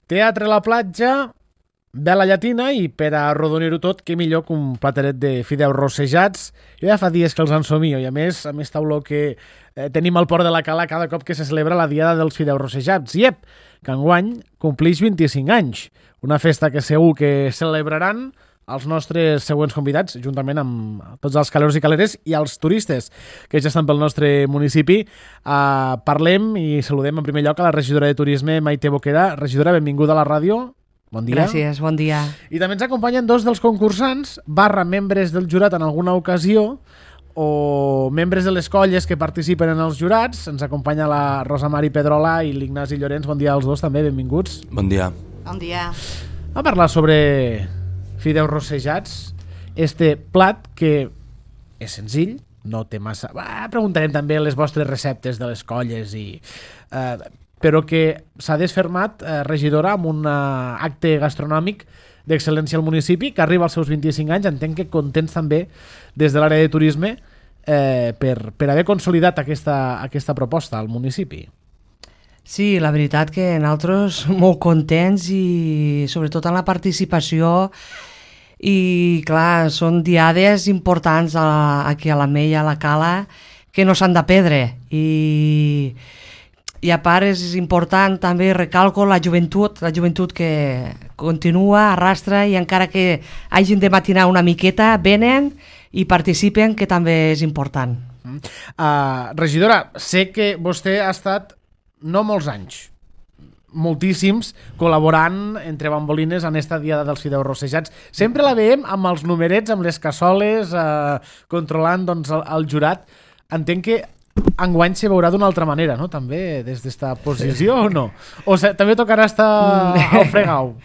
Teatre a la platja, vela llatina i per a arrodonir-ho tot, què millor que un plateret de fideus rossejats. Jo ja fa dies que els ensomio i a més tauló que tenim al Port de la Cala cada cop que se celebra la Diada dels Fideus Rossejats. I que enguany complix 25 anys. Una festa que segur que celebraran els nostres següents convidats, juntament amb tots els caleros i caleres i els turistes que ja estan pel nostre municipi. Parlem i saludem en primer lloc a la regidora de Turisme, Maite Boquera. Regidora, benvinguda a la ràdio. Bon dia. Gràcies, bon dia. I també ens acompanyen dos dels concursants, membres del jurat en alguna ocasió, o membres de les colles que participen en els jurats. Ens acompanya la Rosa Mari Pedrola i l'Ignasi Llorenç. Bon dia als dos també, benvinguts. Bon dia. Bon dia. A parlar sobre fideus rossejats, este plat que és senzill, no té massa... Preguntarem també les vostres receptes de les colles, però que s'ha desfermat, regidora, amb un acte gastronòmic d'excel·lència al municipi, que arriba als seus 25 anys. Entenc que contents també des de l'àrea de turisme per haver consolidat aquesta proposta al municipi. Sí, la veritat que nosaltres molt contents i sobretot en la participació. I clar, són diades importants aquí a l'Ametlla, a la Cala, que no s'han de perdre. I a part és important també, recalco, la joventut que continua, arrastra, i encara que hagin de matinar una miqueta, venen i participen, que també és important. Regidora, sé que vostè ha estat no molts anys, moltíssims, col·laborant entre bambolines en esta Diada dels Fideus Rossejats. Sempre la veiem amb els numerets, amb les cassoles, controlant el jurat. Entenc que enguany se veurà d'una altra manera, no? També des d'esta posició o no? O també tocarà estar al fregau?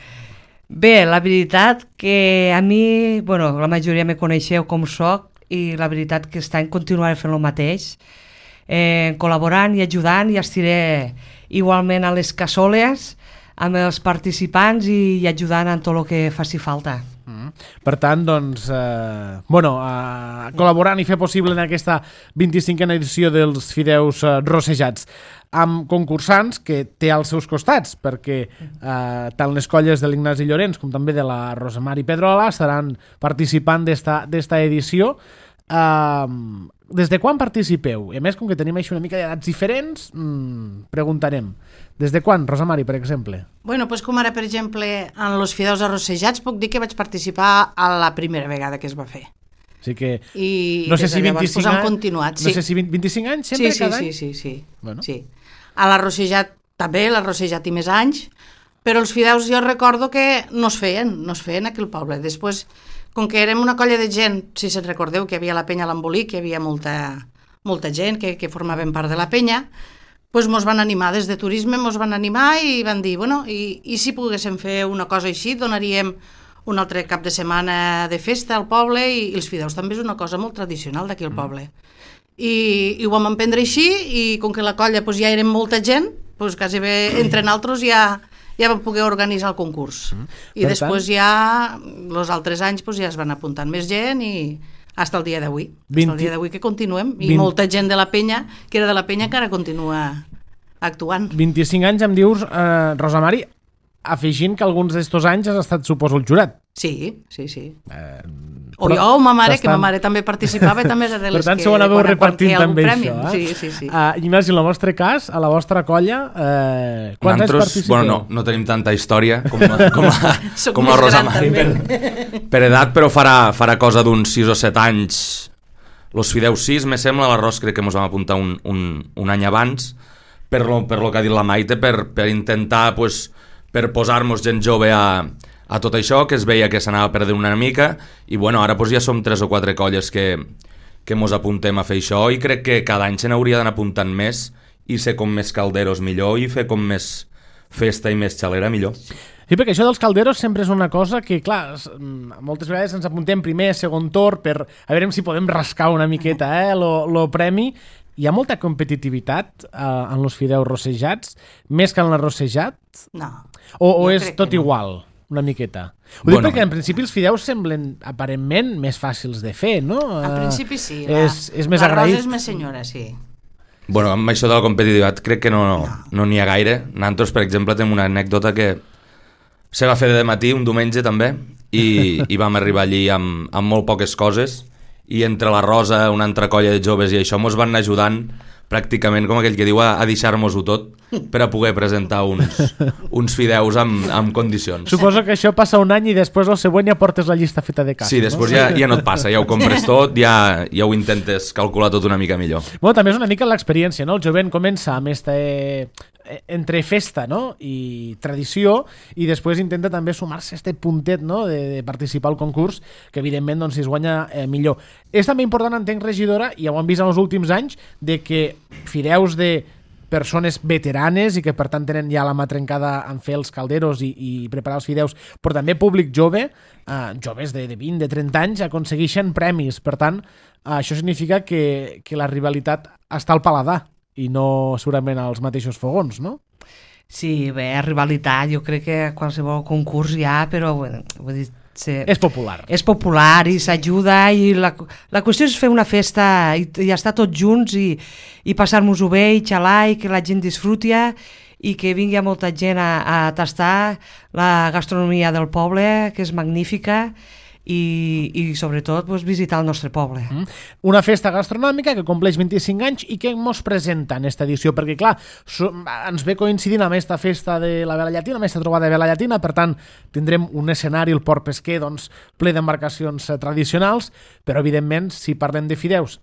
Bé, la veritat que a mi, la majoria me coneixeu com soc, i la veritat que aquest any continuaré fent el mateix, col·laborant i ajudant, i estiré igualment a les cassoles amb els participants i ajudant en tot el que faci falta. Per tant, col·laborant i fer possible en aquesta 25a edició dels Fideus Rossejats, amb concursants que té als seus costats, perquè tant les colles de l'Ignasi Llorenç com també de la Rosa Mari Pedrola estaran participant d'esta edició. Des de quan participeu? I a més, com que tenim així una mica d'edats diferents, preguntarem. Des de quan, Rosa Mari, per exemple? Doncs com ara, per exemple, en els Fideus Arrossejats, puc dir que vaig participar a la primera vegada que es va fer. Així que I no sé si 25 anys... han continuat, sí. No sé si 25 anys sempre cada any? Sí. Bueno. Sí. A l'Arrossejat també, l'Arrossejat i més anys, però els Fideus jo recordo que no es feien aquí al poble. Després, com que érem una colla de gent, si se'n recordeu que hi havia la penya a l'Embolic, hi havia molta gent que formaven part de la penya, doncs mos van animar des de turisme, mos van animar i van dir, i si poguéssim fer una cosa així, donaríem un altre cap de setmana de festa al poble, i els fideus també és una cosa molt tradicional d'aquí al poble. I ho vam emprendre així, i com que la colla ja érem molta gent, quasi bé entre nosaltres ja vam poder organitzar el concurs. I després ja, els altres anys, ja es van apuntant més gent i fins al dia d'avui. Fins al dia d'avui que continuem. I molta gent de la penya, que era de la penya, encara continua actuant. 25 anys, em dius, Rosa Mari, afegint que alguns d'estos anys has estat, suposo, el jurat. Sí. O jo o ma mare, que ma mare també participava, també era de les que... Per tant, s'ho anàveu repartint també això. Sí. Ignasi, en el vostre cas, a la vostra colla, quants anys participeu? No tenim tanta història com la Rosa Mari per edat, però farà cosa d'uns 6 o 7 anys. Los Fideus 6, me sembla, l'arròs crec que ens vam apuntar un any abans, per lo que ha dit la Maite, per intentar, per posar-nos gent jove a tot això, que es veia que s'anava perdent una mica, i ara ja som 3 o 4 colles que mos apuntem a fer això, i crec que cada any se n'hauria d'anar apuntant més, i ser com més calderos millor, i fer com més festa i més xalera millor. Sí, perquè això dels calderos sempre és una cosa que, clar, moltes vegades ens apuntem primer, segon torn, per a veure si podem rascar una miqueta lo premi. Hi ha molta competitivitat en els fideus rossejats, més que en l'arrossejat? No. O és tot igual? Una miqueta. Ho dic perquè en principi els fideus semblen aparentment més fàcils de fer, no? En principi sí. És més agraït. L'arròs és més senyora, sí. Amb això de la competitivitat crec que no n'hi ha gaire. Nosaltres, per exemple, tenim una anècdota que Se va fer de matí un diumenge també i vam arribar allí amb molt poques coses i entre la Rosa, una altra colla de joves i això mos van anar ajudant pràcticament, com aquell que diu, a deixar-nos-ho tot per a poder presentar uns fideus amb condicions. Suposo que això passa un any i després el següent ja portes la llista feta de casa. Sí, després ja no et passa, ja ho compres tot, ja ho intentes calcular tot una mica millor. Bueno, també és una mica l'experiència, no? El jovent comença amb entre festa, no? I tradició, i després intenta també sumar-se a este puntet, no? de participar al concurs, que evidentment doncs, si es guanya millor. És també important, entenc, regidora, i ja ho hem vist en els últims anys, de que fideus de persones veteranes i que per tant tenen ja la mà trencada en fer els calderos i preparar els fideus, però també públic jove, joves de 20, de 30 anys, aconsegueixen premis. Per tant, això significa que la rivalitat està al paladar i no segurament als mateixos fogons, no? Sí, bé, rivalitat, jo crec que qualsevol concurs hi ha, però vull dir, és popular. És popular i s'ajuda i la qüestió és fer una festa i estar tots junts i passar-nos-ho bé i xalar i que la gent disfruti i que vingui molta gent a tastar la gastronomia del poble, que és magnífica, i sobretot pues, visitar el nostre poble. Una festa gastronòmica que compleix 25 anys i que ens presenta en aquesta edició, perquè clar, ens ve coincidint amb aquesta festa de la Vela Llatina, amb aquesta trobada de Vela Llatina, per tant tindrem un escenari, el Port Pesquer, doncs, ple d'embarcacions tradicionals, però evidentment si parlem de fideus,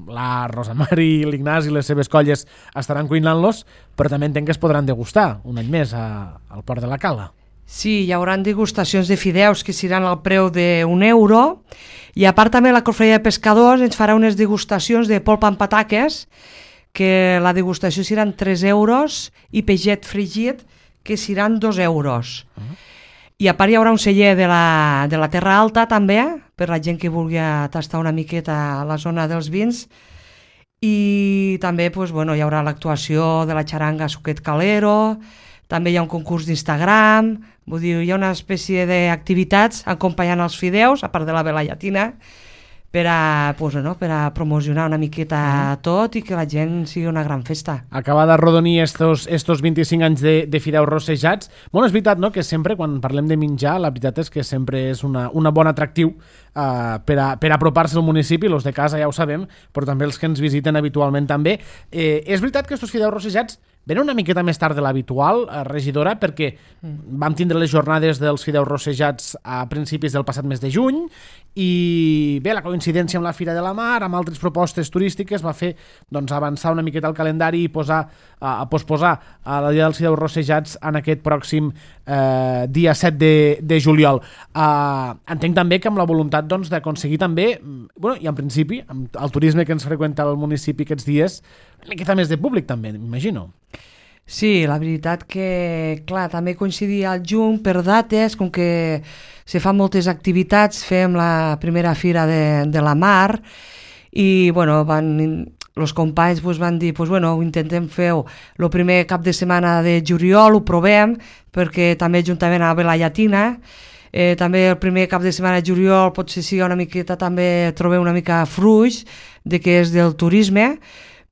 la Rosa Mari, l'Ignasi i les seves colles estaran cuinant-los, però també entenc que es podran degustar un any més al Port de la Cala. Sí, hi haurà degustacions de fideus que seran al preu d'1 € i a part també la Cofreria de Pescadors ens farà unes degustacions de polpa amb pataques, que la degustació seran 3 € i peixet fregit que seran 2 €. I a part hi haurà un celler de la Terra Alta també, per la gent que vulgui tastar una miqueta a la zona dels vins, i també pues, bueno, hi haurà l'actuació de la xaranga Suquet Calero, també hi ha un concurs d'Instagram, vull dir, hi ha una espècie d'activitats acompanyant els fideus, a part de la Vela Llatina, per a promocionar una miqueta tot i que la gent sigui una gran festa. Acaba de rodonir estos 25 anys de fideus rossejats. Bueno, és veritat, no?, que sempre, quan parlem de menjar, la veritat és que sempre és una bon atractiu per apropar-se al municipi, els de casa ja ho sabem, però també els que ens visiten habitualment també. És veritat que estos fideus rossejats venen una miqueta més tard de l'habitual, regidora, perquè vam tindre les jornades dels fideus rossejats a principis del passat mes de juny i bé, la coincidència amb la Fira de la Mar, amb altres propostes turístiques, va fer doncs, avançar una miqueta el calendari i posposar a la dia dels fideus rossejats en aquest pròxim dia 7 de juliol. Entenc també que amb la voluntat doncs, d'aconseguir també, bueno, i en principi, amb el turisme que ens freqüenta al municipi aquests dies, una miqueta més de públic també, m'imagino. Sí, la veritat que, clar, també coincidia al juny per dates, com que se fan moltes activitats, fem la primera fira de la mar i, bueno, els companys van dir, ho intentem fer el primer cap de setmana de juliol, ho provem, perquè també juntament a la Vela Llatina, també el primer cap de setmana de juliol potser sigui una miqueta, també trobem una mica fruix de què és del turisme,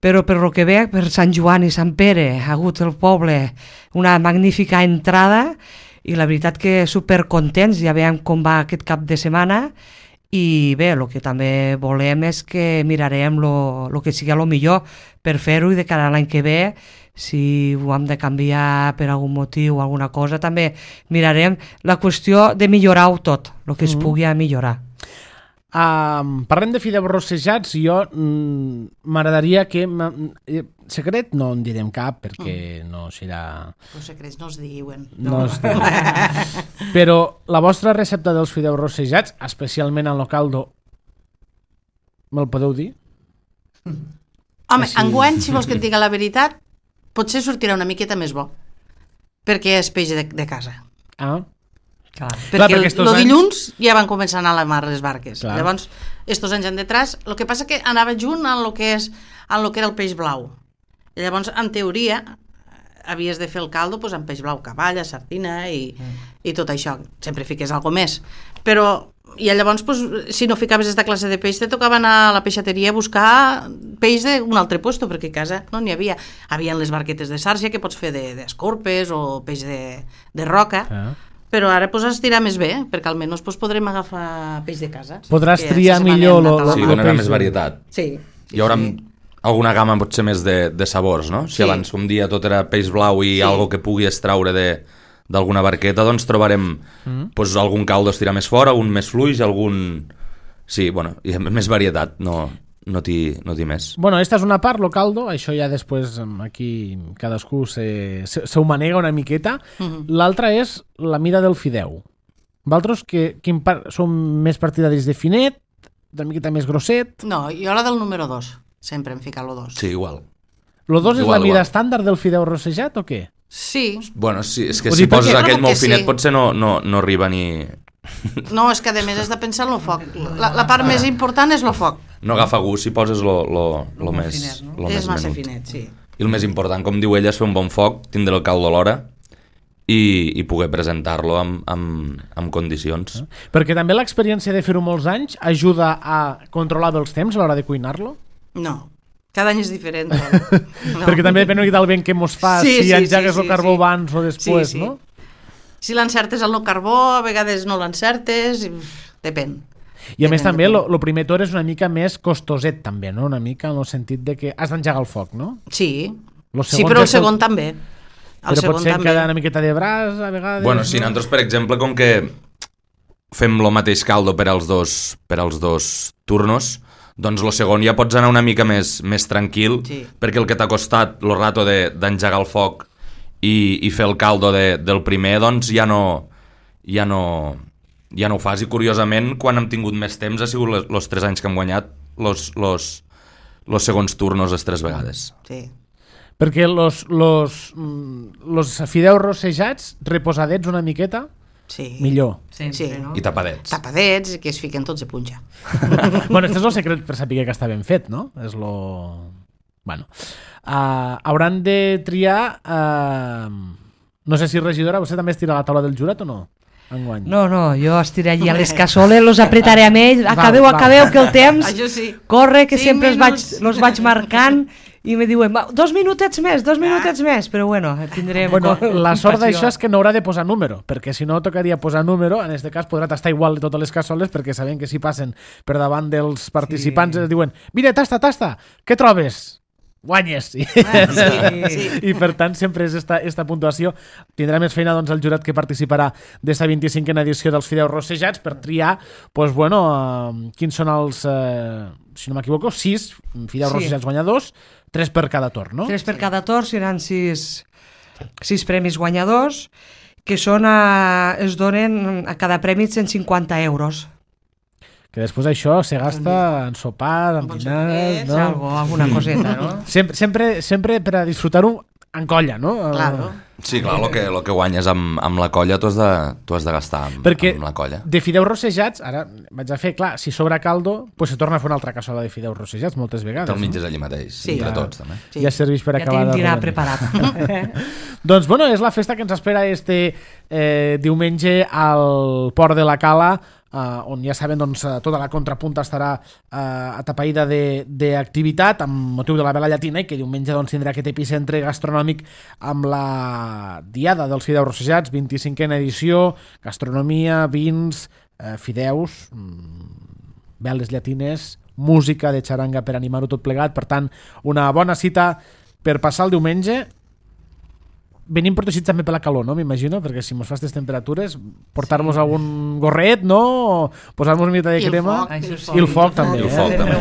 però per lo que ve, per Sant Joan i Sant Pere, ha hagut el poble una magnífica entrada i la veritat que supercontents, ja veiem com va aquest cap de setmana i bé, el que també volem és que mirarem el que sigui el millor per fer-ho i de cara a l'any que ve, si ho hem de canviar per algun motiu o alguna cosa, també mirarem la qüestió de millorar-ho tot, el que es pugui millorar. Parlem de fideus rossejats, jo m'agradaria que... Secret no en direm cap perquè no serà... Els secrets no es diuen. No es diuen. Però la vostra recepta dels fideus rossejats, especialment en el caldo, me'l podeu dir? Home, enguany, si vols que et diga la veritat, potser sortirà una miqueta més bo, perquè és peix de casa. Perquè el dilluns ja van començar a anar a la mar les barques. Clar. Llavors, estos anys detrás, el que passa que anava junt en el que era el peix blau. I llavors, en teoria, havies de fer el caldo amb peix blau, cavalla, sardina i tot això. Sempre fiques alguna més. Però I llavors, pues, si no ficaves aquesta classe de peix, te tocava anar a la peixateria a buscar peix d'un altre puesto, perquè a casa no n'hi havia. Havien les barquetes de sàrcia que pots fer d'escorpes o peix de roca, però ara pues, has tirar més bé, perquè almenys pues, podrem agafar peix de casa. Podràs triar millor Sí, donarà més varietat. Sí. Hi haurà alguna gamma potser més de sabors, no? Si abans, com dia, tot era peix blau i algo que pugui extraure d'alguna barqueta, doncs trobarem pues, algun caldo estirar més fora, un més fluix, algun... Sí, bueno, hi ha més varietat, no t'hi més. Bueno, esta és una part, lo caldo, això ja després aquí cadascú se ho manega una miqueta. L'altra és la mida del fideu. Vosaltres som més partidaris de finet, una miqueta més grosset? No, jo la del número 2, sempre hem ficat lo 2. Sí, igual. Lo 2 és la mida igual. estàndard del fideu rossejat o què? Sí. Bueno, sí, és que si poses aquell molt finet potser no arriba ni... No, és que a més has de pensar en el foc. La part més important és el foc. No agafa gust si poses lo més finet, no? lo més És massa menut. finet, sí. I el més important, com diu ella, és fer un bon foc, tindre el caldo alhora i poder presentar-lo amb condicions. Perquè també l'experiència de fer-ho molts anys ajuda a controlar bé els temps a l'hora de cuinar-lo? No, cada any és diferent. No. Perquè també depèn del vent que mos fa, si engegues el carbó abans o després, no? Si l'encertes al no carbó, a vegades no l'encertes, depèn. I a més també, el primer torn és una mica més costoset també, no? Una mica en el sentit de que has d'engegar el foc, no? Sí, però el segon també. Però pot ser que ha una miqueta de braç, a vegades... Bueno, sí, nosaltres, per exemple, com que fem el mateix caldo per als dos turnos, doncs el segon ja pots anar una mica més tranquil, perquè el que t'ha costat el rato d'engegar el foc i fer el caldo del primer, doncs ja no ho fas. I curiosament, quan hem tingut més temps ha sigut els 3 anys que hem guanyat los segons turnos les 3 vegades. Sí. Perquè los fideus rossejats, reposadets una miqueta, millor. Sí. No? I tapadets. Tapadets, que es fiquen tots a punxa. Bueno, este és el secret per saber que està ben fet, no? És lo... Bueno, hauran de triar... no sé si regidora, vostè també estira a la taula del jurat o no? Enguany. No, jo estiré allí a les cassoles, los apretaré amb ells, acabeu, que el temps corre, que sempre los vaig marcant, i me diuen, 2 minutets més, però bueno, tindrem... Bueno, la sort d'això és que no haurà de posar número, perquè si no tocaria posar número, en aquest cas podrà tastar igual de totes les cassoles, perquè sabem que si passen per davant dels participants diuen, mira, tasta, què trobes? Guanyes! I per tant sempre és esta puntuació. Tindrà més feina doncs, el jurat que participarà d'esta 25a edició dels fideus rossejats per triar, doncs, bueno, quins són els, si no m'equivoco, 6 fideus rossejats guanyadors, 3 per cada torn, no? 3 per cada torn, seran 6 premis guanyadors, que són es donen a cada premi 150 euros. Que després això se gasta en sopar, en dinars, no? Alguna coseta, no? Sempre per a disfrutar-ho en colla, no? Claro. Sí, clar, el que guanyes amb la colla t'ho has de gastar amb la colla. Perquè de fideus rossejats, ara vaig a fer, clar, si sobra caldo, pues se torna a fer una altra cassola de fideus rossejats moltes vegades. Te'l menges allí mateix, entre tots, també. Sí. Ja serveix per acabar de... Ja tenim dinar preparat. Doncs, bueno, és la festa que ens espera este diumenge al Port de la Cala, on ja saben, doncs, tota la contrapunta estarà atapeïda d'activitat amb motiu de la Vela Llatina i que diumenge doncs, tindrà aquest epicentre gastronòmic amb la Diada dels Fideus Rossejats, 25a edició, gastronomia, vins, fideus, veles llatines, música de xaranga per animar-ho tot plegat. Per tant, una bona cita per passar el diumenge. Venim protegits també per la calor, no? M'imagino, perquè si mos fa aquestes temperatures, portar-nos algun gorret, no? Posar-nos una mica de crema. I el foc també. I el foc també.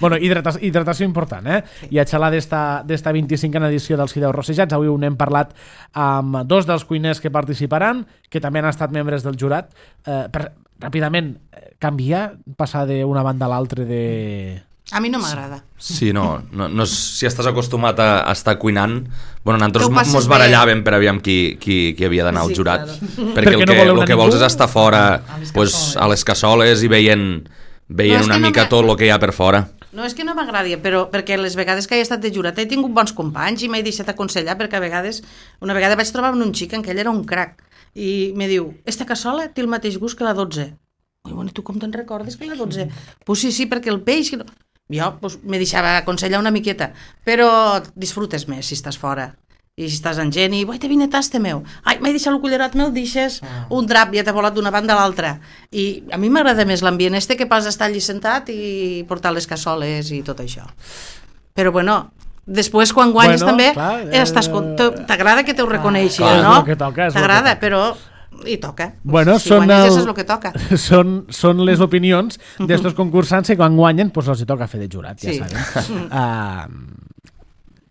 Bueno, hidratació important, I a xalar d'esta 25a edició dels fideus rossejats, avui n'hem parlat amb 2 dels cuiners que participaran, que també han estat membres del jurat. Ràpidament, canvia, passar d'una banda a l'altra de... A mi no m'agrada. Sí, no, si estàs acostumat a estar cuinant, bueno, nosaltres mos barallàvem per aviam qui havia d'anar al jurat, perquè el que vols és estar fora a les cassoles i veient una mica tot el que hi ha per fora. No és que no m'agradi, però perquè les vegades que he estat de jurat he tingut bons companys i m'he deixat aconsellar, perquè una vegada vaig trobar un xic en què ell era un crac i me diu, esta cassola té el mateix gust que la 12. Bueno, i tu com te'n recordes que era 12? Pues sí, perquè el peix... Jo pues, me deixava aconsellar una miqueta, però disfrutes més si estàs fora. I si estàs amb gent i, te vine taste meu. Ai, m'he deixat el cullerat, me'l deixes, un drap ja t'ha volat d'una banda a l'altra. I a mi m'agrada més l'ambient que pas estar allí sentat i portar les cassoles i tot això. Però bueno, després quan guanyes també t'agrada que t'ho reconeixi, no? T'agrada, però i toca. Si guanyes és el que toca. Són les opinions d'estos concursants que quan guanyen els hi toca fer de jurat, ja saben.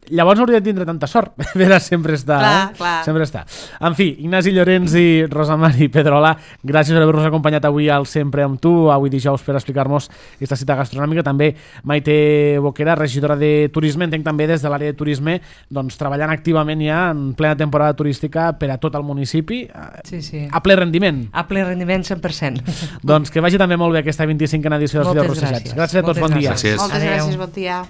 Llavors no hauria de tindre tanta sort. Vera sempre està. Clar. Sempre està. En fi, Ignasi Llorenç i Rosa Mari Pedrola, gràcies per haver-nos acompanyat avui al Sempre amb tu, avui dijous, per explicar-nos aquesta cita gastronòmica. També Maite Boquera, regidora de Turisme, entenc també des de l'àrea de turisme, doncs treballant activament ja en plena temporada turística per a tot el municipi. Sí. A ple rendiment. A ple rendiment 100%. Doncs que vagi també molt bé aquesta 25a edició dels Fideus Rossellats. Gràcies a tots, bon dia. Gràcies. Moltes gràcies, bon dia.